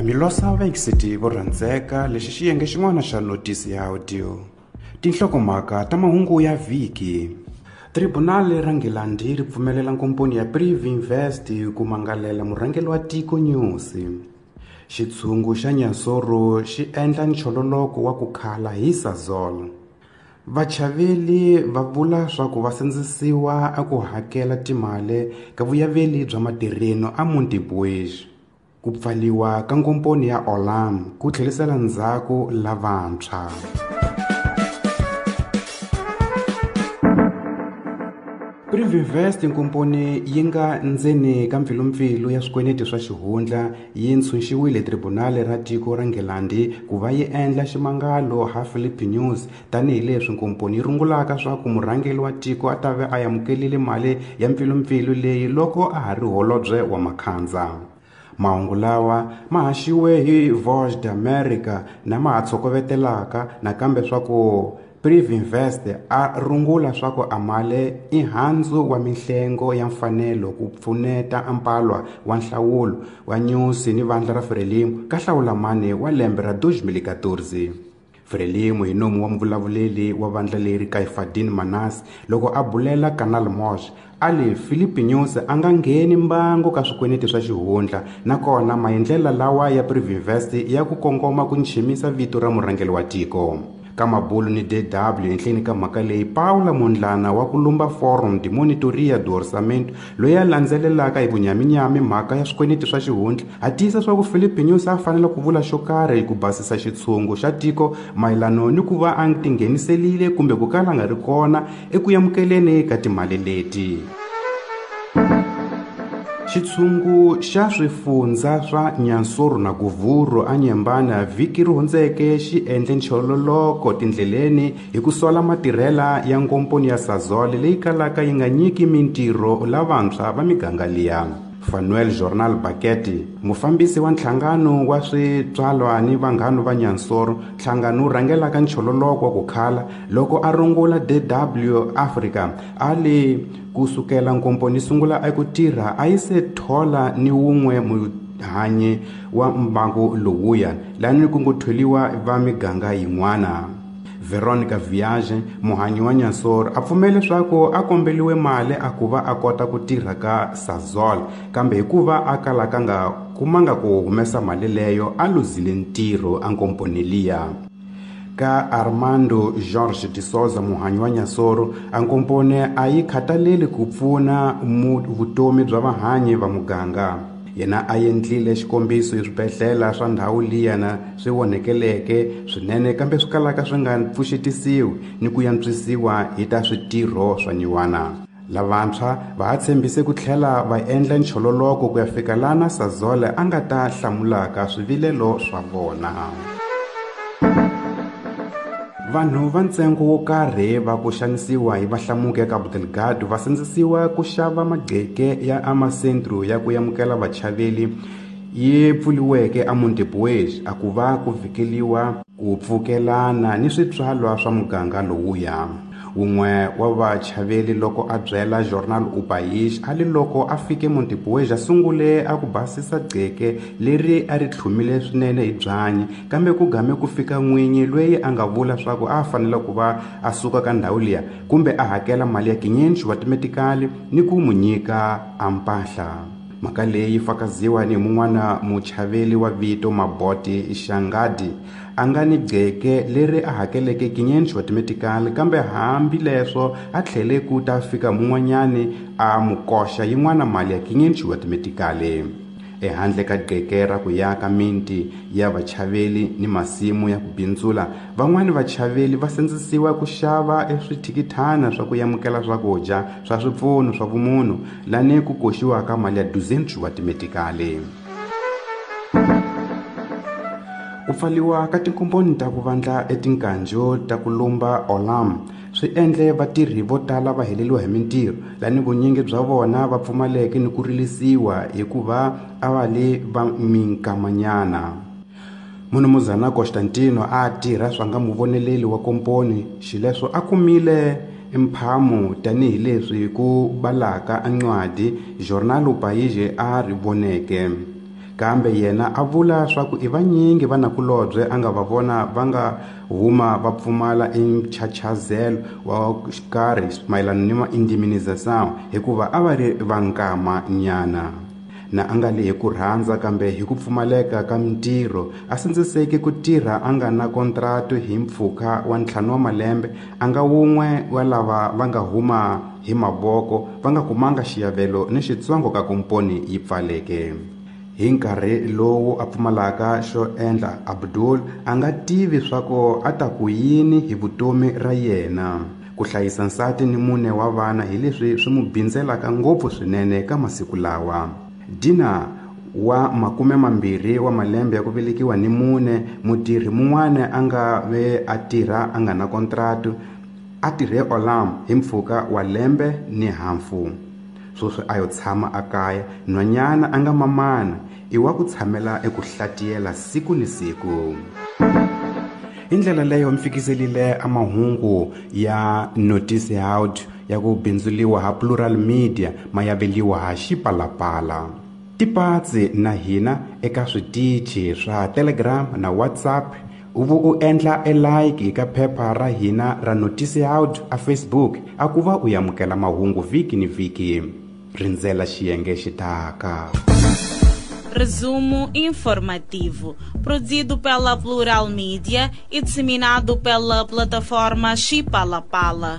Milosa vayingiseti vo rhandzeka, lexi xiyenge xin'wana xa notisi ya audio. Tinhlokomhaka ta mahungu ya vhiki. Tribunal ra Nghilandhi ri pfumelela nkomponi ya Privinvest ku mangalela murhangeri wa tiko Nyusi. Xitshungu xa Nyansoro xi endla nchololoko wa ku khala hi Sasol. Vachaveli va vula swa ku va sindzisiwa a ku hakela timali ka vuyaveli bya matirheno a Montepuez. Ku pfaliwa ka nkomponi ya Olam ku tlherisela ndzhaku lavantshwa. Privinvest nkomponi yi nga ndzeni ka mpfilumpfilu ya swikweleti swa xihundla yi ntshunxiwile tribunal ra tiko ra Nghilandhi ku va yi endla ximangalo ha Philip News tanihileswi nkomponi yi rungulaka swa ku murhangeri wa tiko a ta ve a amukelile mali ya mpfilumpfilu leyi loko a ha ri holobye wa Makhandza. Mahungu lawa ma haxiwe hi Voz d'America na ma ha tshokovetelaka nakambe swa ku Privinvest a rungula swa ku amale i handzu wa mihlengo ya mfanelo ku pfuneta ampalwa wa nhlawulo wa Nyusi ni vandla ra Frelimo ka hlawulamani wa lembe ra 2014. Frelimo hi nomu wa muvulavuleri wa vandla leri Kaifadin Manas loko a bulela Canal Mosh a li Philip Nyusi a nga ngheni mbangu ka swikweleti swa xihundla nakona maendlela lawa ya Privinvest ya ku kongoma ku nchimisa vito ra murhangeri wa tiko. Ka mabulu ni DW enhleni ka mhaka leyi Paula Mondlana wa ku lumba Forum de Monitoria do Orçamento loyi a landzelelaka hi vunyaminyami mhaka ya swikweleti swa xihundla a tiyisa swa ku Philip Nyusi a fanele ku vula xo karhi ku basisa xitshungu xa tiko mayelano ni ku va a tingheniselile kumbe ku kala nga ri kona eku amukeleni ka timali leti. Xitshungu xa swifundza swa Nyansoro na Guvuru a Nyembana vhiki ri hundzeke xi endle nchololoko tindleleni hi ku sola matirhela ya nkomponi ya Sasol leyi kalaka yi nga nyiki mintirho lavantshwa va miganga liya. Fanuel Journal Baketi, mufambisi wa nhlangano wa switswalwa ni vanghana va Nyansoro, nhlangano wu rhangelaka nchololoko wa ku khala loko a rungula DW Africa a li kusukela nkomponi sungula eku tirha a yi se thola ni wun'we muhanyi wa mbangu lowuya lani ku ngo tholiwa va miganga yin'wana. Veronica Viage, muhanyi wa Nyansoro, a pfumele leswaku a kombeliwe mali a ku va a kota ku tirha ka Sasol, kambe hikuva a kalaka nga kumanga ku humesa mali leyo a luzile ntirho a nkomponi liya. Ka Armando Jorge de Souza, muhanyi wa Nyansoro, a nkomponi a yi khataleli ku pfuna vutomi bya vahanyi va muganga. Yena a endlile xikombiso hi swibedhlele swa ndhawu liyana swi onhekeleke swinene kambe swi kalaka swi nga pfuxetisiwi ni ku antswisiwa hi ta switirho swa nyiwana. Lavantshwa va ha tshembise ku tlhela va endla nchololoko ku ya fika lana Sasol a nga ta hlamulaka swivilelo swa vona. Vanhu va ntsengo wo karhi va ku xanisiwa hi vahlamuki ya Cabo Delgado va sindzisiwa ku xava magqeke ya amasentru ya ku amukela vachaveli yi pfuriweke a Montepuez a ku va ku vhikeliwa ku pfukelana ni switswalwa swa muganga lowuya. Wun'we wa vachaveli loko a byela Jornal O País a li loko a fike Montepuez a sungule a ku basisa gqeke leri a ri tlhumile swinene hi byanyi, kambe ku game ku fika n'winyi loyi a nga vula swa ku a fanele ku va a suka ka ndhawu liya kumbe a hakela mali ya 500 wa timetikali ni ku mu nyika a mpahla. Mhaka leyi fakaziwa ni mun'wana muchaveli wa vito Maboti Xangadi a nga ni gqeke leri a hakeleke 500 wa timetikali, kambe hambileswo a tlhele ku ta fika mun'wanyani a mu koxa yin'wana mali ya 500 wa timetikali. Ehandle ka gqeke ra ku yaka miti ya vachaveli ni masimu ya ku bindzula, van'wani vachaveli va sindzisiwa ku xava eswithikithana swa ku amukela swakudya swa swipfuno swa vumunhu lani ku koxiwaka mali ya 200 wa timetikali. Ku pfaliwa ka tinkomponi ta ku vandla etinkanjo ta ku lumba Olam swi endle vatirhi vo tala va heleriwa hi mintirho, lani vunyingi bya vona va pfumaleke ni ku rilisiwa hikuva a va le va minkamanyana. Munumuzana Constantino a tirha swa nga muvoneleli wa komponi, xileswo a kumile mphamu tanihileswi ku balaka ancwadi Jornal O País a ri voneke. Kambe yena a vula swa ku i vanyingi vanakulobye a nga va vona va nga huma va pfumala enchachazelo wa xikarhi mayelana ni ma-indemnização hikuva a va ri va nkama nyana. Na a nga li hi ku rhandza kambe hi ku pfumaleka ka mintirho a sindziseki ku tirha a nga na kontratu hi mpfhuka wa 5 wa malembe a nga wun'we wa lava va nga huma hi mavoko va nga kumanga xiyavelo ni xitsongo ka komponi yi pfaleke. Hi nkarhi lowu a pfumalaka xo endla Abdul a nga tivi swa ku a ta ku yini hi vutomi ra yena. Ku hlayisa nsati ni mune wa vana hi leswi swi n'wi bindzelaka ngopfu swinene ka masiku lawa. Dina wa 20 wa malembe ya ku velekiwa ni mune mutirhi mun'wana a nga ve a tirha a nga na kontratu a tirhe Olam hi mpfhuka wa lembe ni hafu. Sweswi a yo tshama a kaya nhwanyana a nga mamana i wa ku tshamela eku hlatiyela siku ni siku. Hi ndlela leyo mi fikiselile a mahungu ya Notice Out ya ku bindzuliwa ha Plural Media mayaveliwa ha Xipalapala. Tipatsi na hina eka switichi swa Telegram na WhatsApp uvu u endla e like eka phepha ra hina ra Notice Out a Facebook a ku va u yamukela mahungu vhiki ni vhiki. Rindzela xiyenge xitaka. Resumo informativo, produzido pela Plural Media e disseminado pela plataforma Xipalapala.